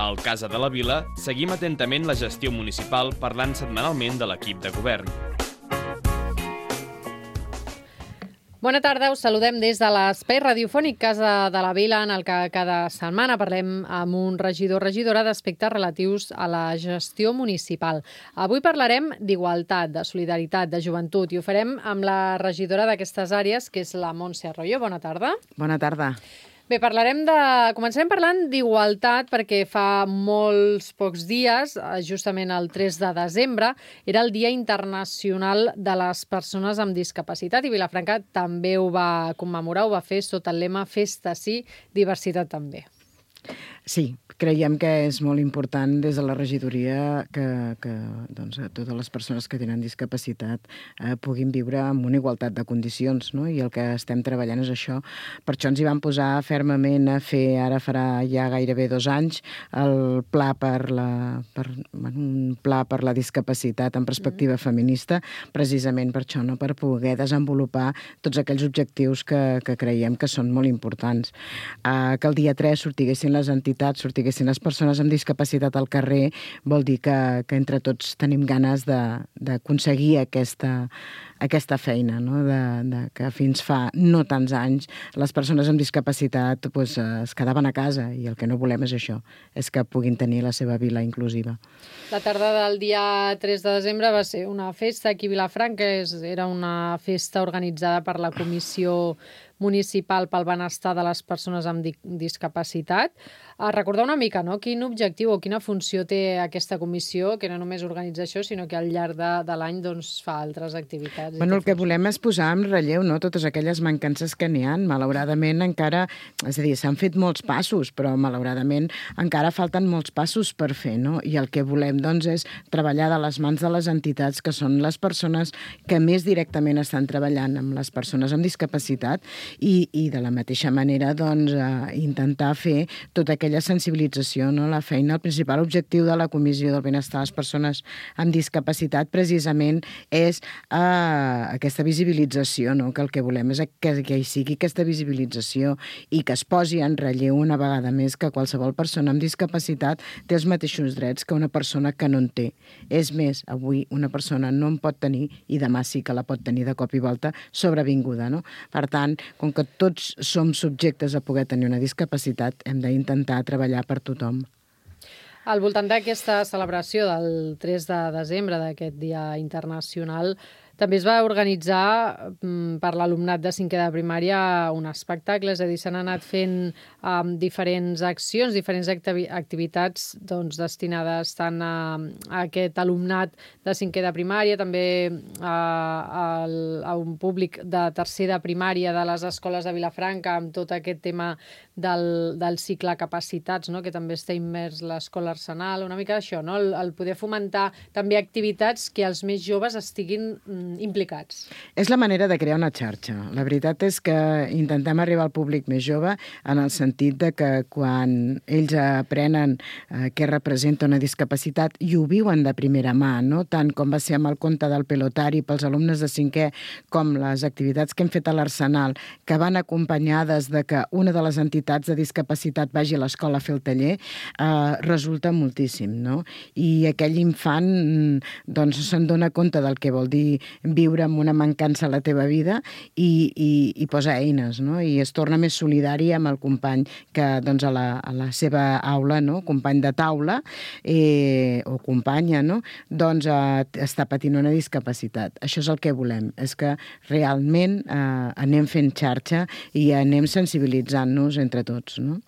Al Casa de la Vila seguim atentament la gestió municipal parlant setmanalment de l'equip de govern. Bona tarda, us saludem des de l'espai radiofònic Casa de la Vila, en el que cada setmana parlem amb un regidor o regidora d'aspectes relatius a la gestió municipal. Avui parlarem d'igualtat, de solidaritat, de joventut, i ho farem amb la regidora d'aquestes àrees, que és la Montse Arroyo. Bona tarda. Bona tarda. Bé, començarem parlant d'igualtat perquè fa molts pocs dies, justament el 3 de desembre, era el Dia Internacional de les Persones amb Discapacitat i Vilafranca també ho va commemorar, ho va fer sota el lema Festa sí, diversitat també. Sí, creiem que és molt important des de la regidoria que doncs, totes les persones que tenen discapacitat puguin viure amb una igualtat de condicions, no? I el que estem treballant és això. Per això ens hi vam posar fermament a fer, ara farà ja gairebé 2 anys, un pla per la discapacitat en perspectiva feminista, precisament per això, no? Per poder desenvolupar tots aquells objectius que creiem que són molt importants. Que el dia 3 sortiguessin les entitats, sortiguessin les persones amb discapacitat al carrer, vol dir que entre tots tenim ganes d'aconseguir aquesta feina, no? Que fins fa no tants anys les persones amb discapacitat es quedaven a casa i el que no volem és això, és que puguin tenir la seva vila inclusiva. La tarda del dia 3 de desembre va ser una festa aquí a Vilafranca, era una festa organitzada per la Comissió Municipal pel Benestar de les Persones amb Discapacitat. Recordar una mica, no?, quin objectiu o quina funció té aquesta comissió, que no només organitza això, sinó que al llarg de l'any fa altres activitats. Bueno, el que volem és posar en relleu, no?, totes aquelles mancances que n'hi ha. Malauradament encara, és a dir, s'han fet molts passos, però malauradament encara falten molts passos per fer, no? I el que volem, doncs, és treballar de les mans de les entitats, que són les persones que més directament estan treballant amb les persones amb discapacitat, i de la mateixa manera doncs, intentar fer tota aquella sensibilització, no? La feina, el principal objectiu de la Comissió del Benestar de les Persones amb Discapacitat precisament és aquesta visibilització, no? Que el que volem és que hi sigui aquesta visibilització i que es posi en relleu una vegada més que qualsevol persona amb discapacitat té els mateixos drets que una persona que no en té. És més, avui una persona no en pot tenir i demà sí que la pot tenir de cop i volta sobrevinguda, no? Per tant, com que tots som subjectes a poder tenir una discapacitat, hem d'intentar treballar per tothom. Al voltant d'aquesta celebració del 3 de desembre, d'aquest Dia Internacional, també es va organitzar per l'alumnat de 5è de primària un espectacle, és a dir, s'han anat fent diferents accions, diferents activitats destinades tant a aquest alumnat de 5è de primària, també a un públic de 3è de primària de les escoles de Vilafranca, amb tot aquest tema del cicle capacitats, no?, que també està immers l'escola Arsenal, una mica això, no?, el poder fomentar també activitats que els més joves estiguin implicats. És la manera de crear una xarxa. La veritat és que intentem arribar al públic més jove en el sentit de que quan ells aprenen què representa una discapacitat i ho viuen de primera mà, no? Tant com va ser amb el conte del pelotari pels alumnes de 5è, com les activitats que hem fet a l'Arsenal, que van acompanyades de que una de les entitats de discapacitat vagi a l'escola a fer el taller, resulta moltíssim, no? I aquell infant doncs se'n dona compte del que vol dir viure amb una mancança a la teva vida i posa eines, no? I es torna més solidari amb el company que doncs, a la seva aula, no?, company de taula o companya, no?, doncs està patint una discapacitat. Això és el que volem, és que realment anem fent xarxa i anem sensibilitzant-nos entre tots, no?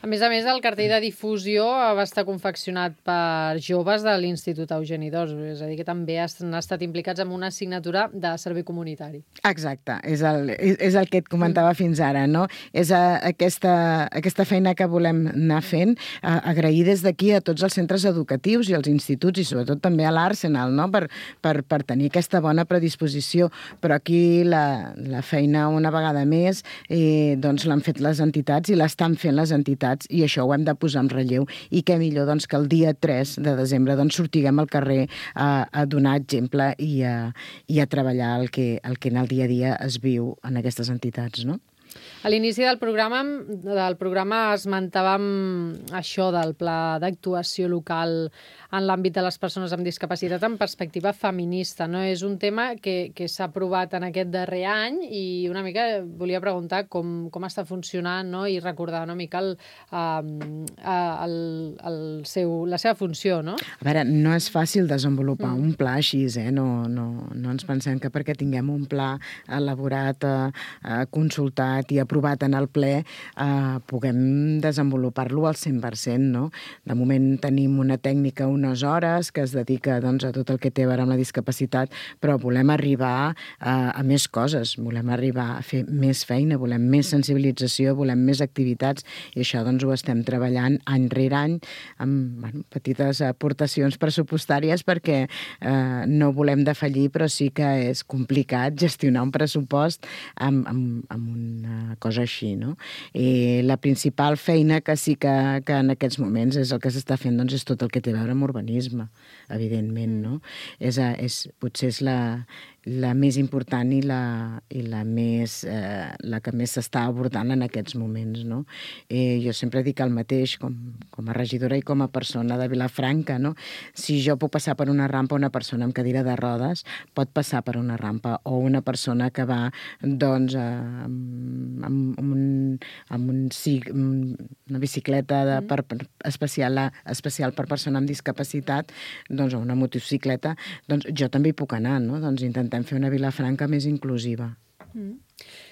A més, el cartell de difusió va estar confeccionat per joves de l'Institut Eugeni d'Ors, és a dir, que també han estat implicats en una assignatura de servei comunitari. Exacte, és el que et comentava fins ara, no? És aquesta feina que volem anar fent, agrair des d'aquí a tots els centres educatius i als instituts i sobretot també a l'Arsenal, no?, per tenir aquesta bona predisposició, però aquí la feina una vegada més doncs l'han fet les entitats i l'estan fent les entitats i això ho hem de posar en relleu i què millor doncs, que el dia 3 de desembre doncs, sortiguem al carrer a donar exemple i a treballar el que en el dia a dia es viu en aquestes entitats, no? A l'inici del programa esmentàvem això del pla d'actuació local en l'àmbit de les persones amb discapacitat en perspectiva feminista, no? És un tema que s'ha aprovat en aquest darrer any i una mica volia preguntar com està funcionant, no? I recordar una mica la seva funció, no? A veure, no és fàcil desenvolupar un pla així, no ens pensem que perquè tinguem un pla elaborat, consultat i aprovat en el ple, puguem desenvolupar-lo al 100%, no? De moment tenim una tècnica, unes hores, que es dedica doncs, a tot el que té a veure amb la discapacitat, però volem arribar a més coses, volem arribar a fer més feina, volem més sensibilització, volem més activitats, i això doncs, ho estem treballant any rere any amb petites aportacions pressupostàries perquè no volem defallir, però sí que és complicat gestionar un pressupost amb una cosa així, no? I la principal feina que sí que en aquests moments és el que s'està fent, doncs és tot el que té a veure amb urbanisme, evidentment, no? Potser és la més important i la que més s'està abordant en aquests moments, no? Jo sempre dic el mateix, com a regidora i com a persona de Vilafranca, no? Si jo puc passar per una rampa, una persona amb cadira de rodes pot passar per una rampa, o una persona que va, doncs, amb una bicicleta especial per persona amb discapacitat, doncs, o una motocicleta, doncs jo també hi puc anar, no? Doncs intentem fer una Vilafranca més inclusiva.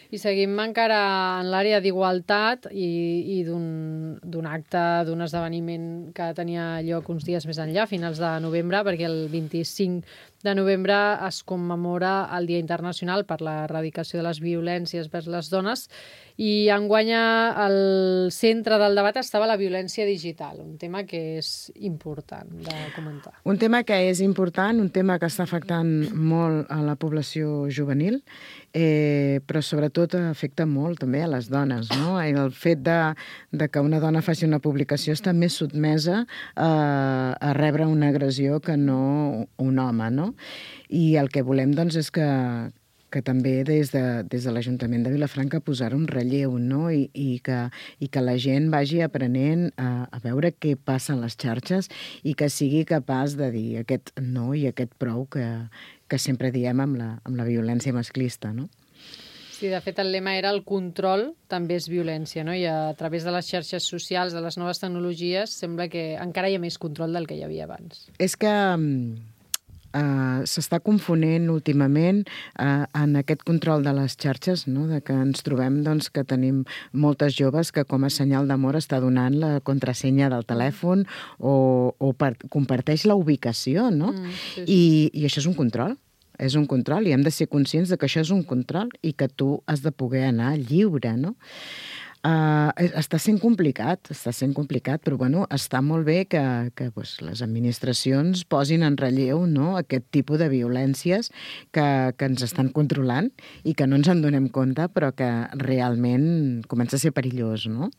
I seguim encara en l'àrea d'igualtat i d'un acte, d'un esdeveniment que tenia lloc uns dies més enllà, a finals de novembre, perquè el 25 de novembre es commemora el Dia Internacional per l'Erradicació de les Violències vers les Dones, i enguany al centre del debat estava la violència digital, un tema que és important de comentar. Un tema que és important, un tema que està afectant molt a la població juvenil, però sobretot afecta molt també a les dones, no? El fet de que una dona faci una publicació està més sotmesa a rebre una agressió que no un home, no? I el que volem, doncs, és que també des de l'Ajuntament de Vilafranca posar un relleu, no? I que la gent vagi aprenent a veure què passa a les xarxes i que sigui capaç de dir aquest no i aquest prou que sempre diem amb la violència masclista, no? Sí, de fet, el lema era el control també és violència, no? I a través de les xarxes socials, de les noves tecnologies, sembla que encara hi ha més control del que hi havia abans. És que s'està confonent últimament en aquest control de les xarxes, no? De que ens trobem, doncs, que tenim moltes joves que com a senyal d'amor està donant la contrasenya del telèfon o comparteix la ubicació, no? Sí. I això és un control. És un control i hem de ser conscients de que això és un control i que tu has de poder anar lliure, no? Està sent complicat, però bueno, està molt bé que les administracions posin en relleu, no, aquest tipus de violències que ens estan controlant i que no ens en donem compte, però que realment comença a ser perillós, no?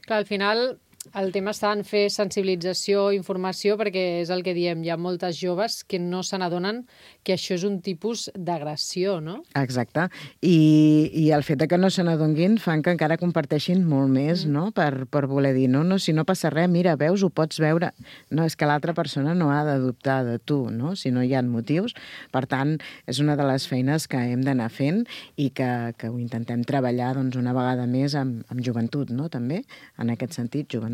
Clar, al final el tema està en fer sensibilització, informació, perquè és el que diem, hi ha moltes joves que no se n'adonen que això és un tipus d'agressió, no? Exacte. I el fet que no se n'adonguin fan que encara comparteixin molt més, no? Per voler dir, no, si no passa res, mira, veus, ho pots veure. No, és que l'altra persona no ha de dubtar de tu, no? Si no hi ha motius. Per tant, és una de les feines que hem d'anar fent i que ho intentem treballar, doncs, una vegada més amb joventut, no? També, en aquest sentit, joventut,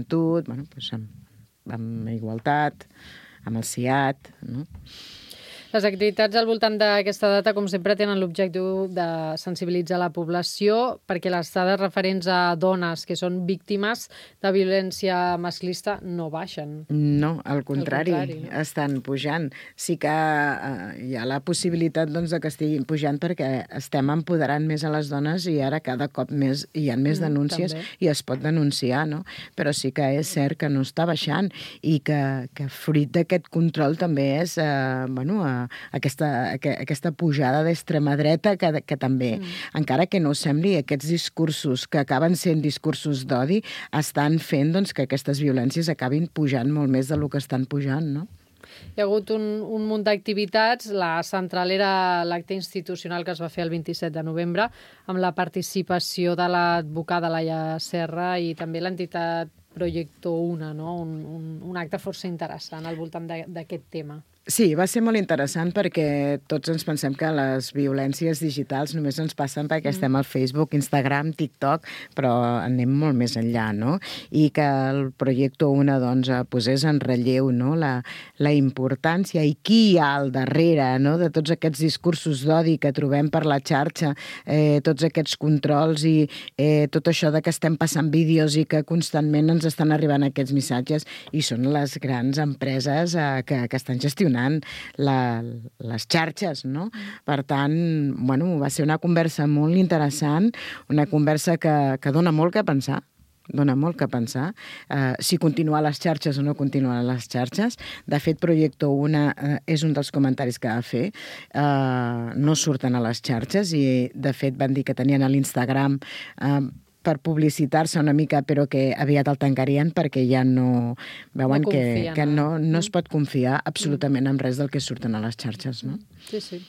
bueno, doncs amb igualtat, amb el CIAT, no? Les activitats al voltant d'aquesta data, com sempre, tenen l'objectiu de sensibilitzar la població perquè les dades referents a dones que són víctimes de violència masclista no baixen. No, al contrari, no? Estan pujant. Sí que hi ha la possibilitat, doncs, de que estiguin pujant perquè estem empoderant més a les dones i ara cada cop més hi ha més denúncies i es pot denunciar, no? Però sí que és cert que no està baixant i que fruit d'aquest control també és, aquesta pujada d'extrema dreta que també, encara que no sembli, aquests discursos que acaben sent discursos d'odi estan fent, doncs, que aquestes violències acabin pujant molt més del que estan pujant, no? Hi ha hagut un munt d'activitats. La central era l'acte institucional que es va fer el 27 de novembre amb la participació de l'advocada Laia Serra i també l'entitat Proyecto Una, no? Un acte força interessant al voltant d'aquest tema. Sí, va ser molt interessant perquè tots ens pensem que les violències digitals només ens passen perquè estem al Facebook, Instagram, TikTok, però anem molt més enllà, no? I que el Proyecto Una doncs, posés en relleu, no? la importància i qui hi ha al darrere, no? De tots aquests discursos d'odi que trobem per la xarxa, tots aquests controls i tot això de que estem passant vídeos i que constantment ens estan arribant aquests missatges i són les grans empreses que estan gestionant les xarxes, no? Per tant, bueno, va ser una conversa molt interessant, una conversa que dona molt que pensar, si continuar a les xarxes o no continuar a les xarxes. De fet, Proyecto Una és un dels comentaris que va fer. No surten a les xarxes i, de fet, van dir que tenien a l'Instagram per publicitar-se una mica, però que aviat el tancarien perquè ja no veuen que no es pot confiar absolutament en res del que surten a les xarxes, no? Sí, sí.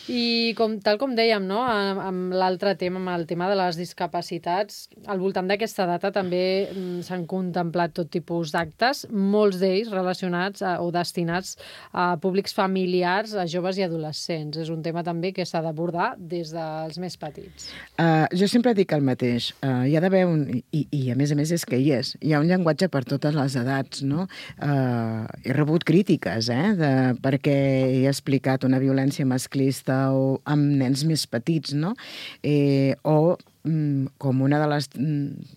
I tal com dèiem, no? Amb l'altre tema, amb el tema de les discapacitats, al voltant d'aquesta data també s'han contemplat tot tipus d'actes, molts d'ells relacionats o destinats a públics familiars, a joves i adolescents. És un tema també que s'ha d'abordar des dels més petits. Jo sempre dic el mateix. Hi ha d'haver i a més és que hi és. Hi ha un llenguatge per totes les edats, no? He rebut crítiques, perquè he explicat una violència masclista o amb nens més petits, no? Com una de les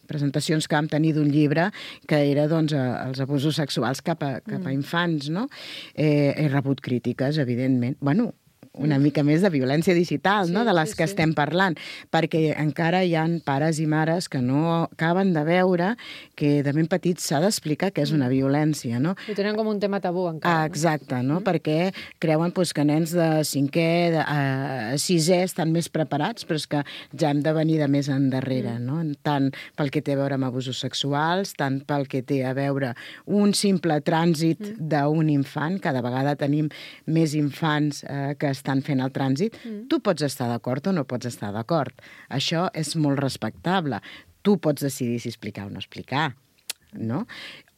presentacions que vam tenir d'un llibre que era doncs, els abusos sexuals cap a infants, no? He rebut crítiques, evidentment. Bueno, una mica més de violència digital, no? De les que estem parlant, perquè encara hi ha pares i mares que no acaben de veure que de ben petits s'ha d'explicar què és una violència, no? Ho tenen com un tema tabú encara. Exacte, no? Perquè creuen que nens de 5è, de 6è estan més preparats, però és que ja hem de venir de més endarrere, no? Tant pel que té a veure amb abusos sexuals, tant pel que té a veure un simple trànsit d'un infant. Cada vegada tenim més infants que estan fent el trànsit. Tu pots estar d'acord o no pots estar d'acord. Això és molt respectable. Tu pots decidir si explicar o no explicar, no?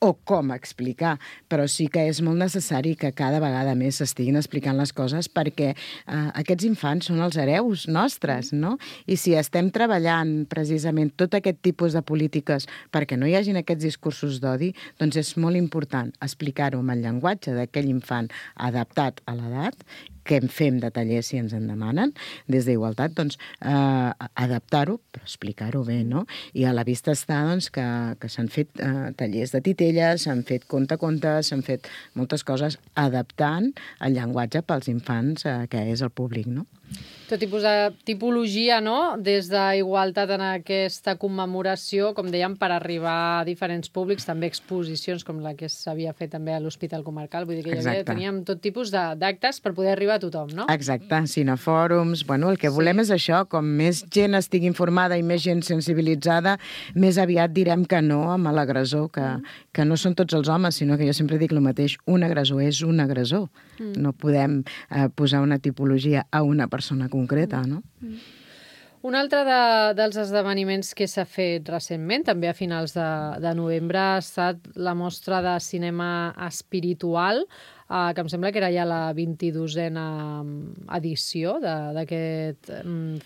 O com explicar, però sí que és molt necessari que cada vegada més s'estiguin explicant les coses perquè aquests infants són els hereus nostres, no? I si estem treballant precisament tot aquest tipus de polítiques perquè no hi hagin aquests discursos d'odi, doncs és molt important explicar-ho amb el llenguatge d'aquell infant adaptat a l'edat, que en fem de tallers si ens en demanen, des d'Igualtat, doncs adaptar-ho, però explicar-ho bé, no? I a la vista està doncs, que s'han fet tallers de titelles, s'han fet contes, s'han fet moltes coses adaptant el llenguatge pels infants, que és el públic, no? Tot tipus de tipologia, no? Des d'Igualtat en aquesta commemoració, com dèiem, per arribar a diferents públics, també exposicions com la que s'havia fet també a l'Hospital Comarcal, vull dir que teníem tot tipus d'actes per poder arribar a tothom, no? Exacte, cinefòrums, bueno, el que volem és això, com més gent estigui informada i més gent sensibilitzada, més aviat direm que no amb l'agressor, que no són tots els homes, sinó que jo sempre dic el mateix, un agressor és un agressor. No podem posar una tipologia a una persona concreta, no? Un altre dels esdeveniments que s'ha fet recentment, també a finals de novembre, ha estat la mostra de cinema espiritual, que em sembla que era ja la 22a edició d'aquest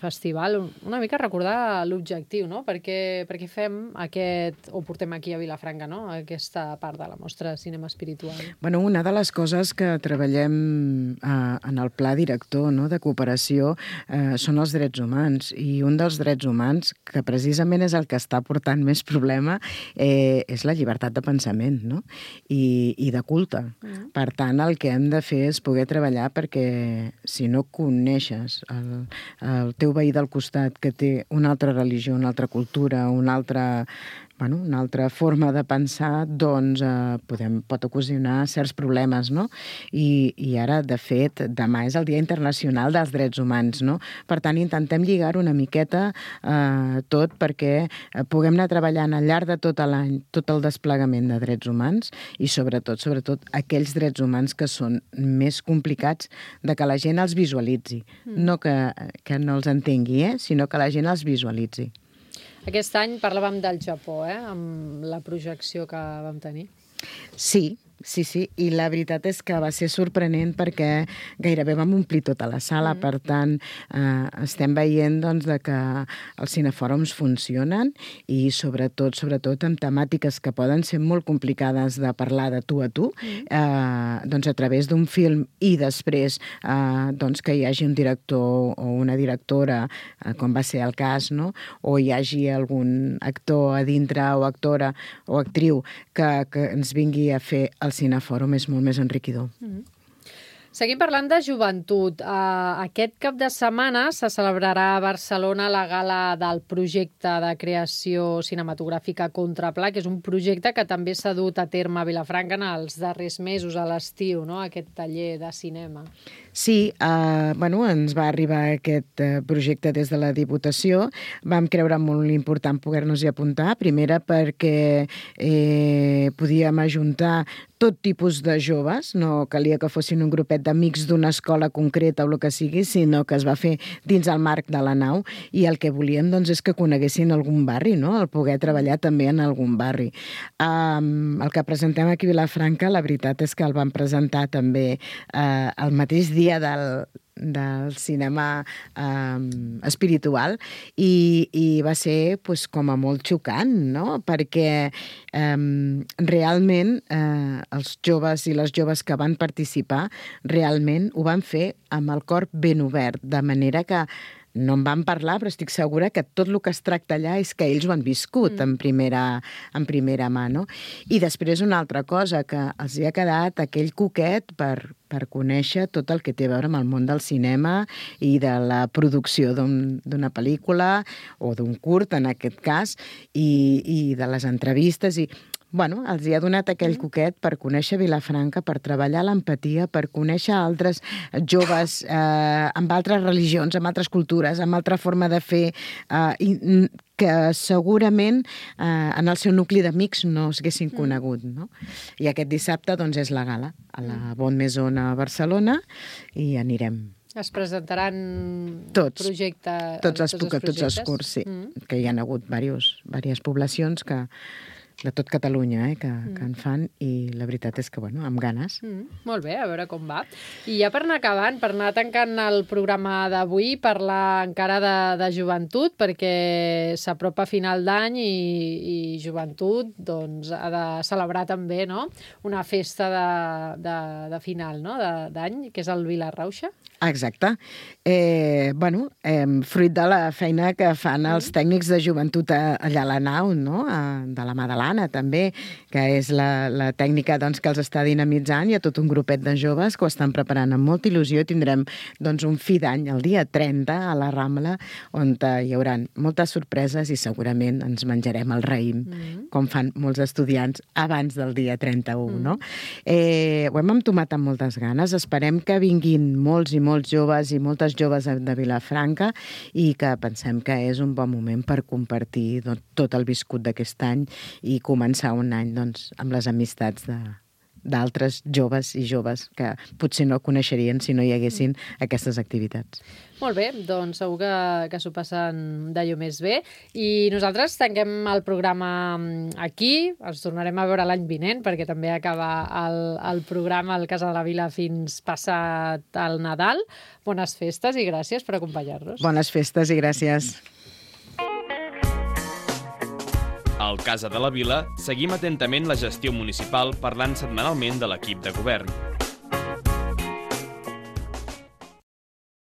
festival. Una mica recordar l'objectiu, no? Per què fem o portem aquí a Vilafranca, no? Aquesta part de la mostra de cinema espiritual. Bueno, una de les coses que treballem en el pla director, no, de cooperació són els drets humans, i un dels drets humans, que precisament és el que està portant més problema, és la llibertat de pensament, no? I de culte. Per tant, el que hem de fer és poder treballar perquè si no coneixes el teu veí del costat que té una altra religió, una altra cultura, una altra una altra forma de pensar doncs, pot ocasionar certs problemes, no? I ara, de fet, demà és el Dia Internacional dels Drets Humans, no? Per tant, intentem lligar una miqueta tot perquè puguem anar treballant al llarg de tot l'any tot el desplegament de drets humans i sobretot aquells drets humans que són més complicats de que la gent els visualitzi. No que no els entengui, sinó que la gent els visualitzi. Aquest any parlàvem del Japó, amb la projecció que vam tenir. Sí, i la veritat és que va ser sorprenent perquè gairebé vam omplir tota la sala, per tant estem veient doncs, que els cinefòrums funcionen i sobretot amb temàtiques que poden ser molt complicades de parlar de tu a tu, doncs a través d'un film i després doncs, que hi hagi un director o una directora, com va ser el cas, no? O hi hagi algun actor a dintre o actora o actriu que ens vingui a fer el cinefòrum és molt més enriquidor. Seguim parlant de joventut. Aquest cap de setmana se celebrarà a Barcelona la gala del projecte de creació cinematogràfica Contrapla, que és un projecte que també s'ha dut a terme a Vilafranca en els darrers mesos, a l'estiu, no? Aquest taller de cinema. Sí, ens va arribar aquest projecte des de la Diputació. Vam creure molt important poder-nos-hi apuntar. Primera perquè podíem ajuntar tot tipus de joves, no calia que fossin un grupet d'amics d'una escola concreta o el que sigui, sinó que es va fer dins el marc de la nau i el que volíem doncs, és que coneguessin algun barri, no? El poder treballar també en algun barri. El que presentem aquí a Vilafranca, la veritat és que el vam presentar també el mateix dia del cinema espiritual i va ser com a molt xocant, no? Perquè realment els joves i les joves que van participar realment ho van fer amb el cor ben obert, de manera que no en vam parlar, però estic segura que tot el que es tracta allà és que ells ho han viscut en primera mà, no? I després una altra cosa, que els hi ha quedat aquell coquet per conèixer tot el que té a veure amb el món del cinema i de la producció d'una pel·lícula o d'un curt, en aquest cas, i de les entrevistes i els hi ha donat aquell coquet per conèixer Vilafranca, per treballar l'empatia, per conèixer altres joves amb altres religions, amb altres cultures, amb altra forma de fer, que segurament en el seu nucli d'amics no s'haguessin conegut, no? I aquest dissabte doncs, és la gala a la Bon Maison a Barcelona i anirem. Es presentaran tots projectes? Tots els curts, sí, que hi ha hagut diverses poblacions de tot Catalunya que en fan i la veritat és que, amb ganes. Molt bé, a veure com va. I ja per anar acabant, per anar tancant el programa d'avui, parlar encara de joventut, perquè s'apropa a final d'any i joventut doncs, ha de celebrar també una festa de final d'any, que és el Vila Rauxa. Exacte. Fruit de la feina que fan els tècnics de joventut allà a la nau, de la mà de l'Anna, també, que és la tècnica que els està dinamitzant. Hi ha tot un grupet de joves que ho estan preparant amb molta il·lusió. Tindrem un fi d'any el dia 30 a la Rambla, on hi haurà moltes sorpreses i segurament ens menjarem el raïm, com fan molts estudiants abans del dia 31, no? Ho hem entomat amb moltes ganes. Esperem que vinguin molts i molts joves i moltes joves de Vilafranca i que pensem que és un bon moment per compartir tot el viscut d'aquest any i començar un any amb les amistats d'altres joves i joves que potser no coneixerien si no hi haguessin aquestes activitats. Molt bé, doncs segur que s'ho passen d'allò més bé. I nosaltres tanquem el programa aquí, ens tornarem a veure l'any vinent, perquè també acaba el programa al Casa de la Vila fins passat el Nadal. Bones festes i gràcies per acompanyar-nos. Bones festes i gràcies. Al Casa de la Vila seguim atentament la gestió municipal parlant setmanalment de l'equip de govern.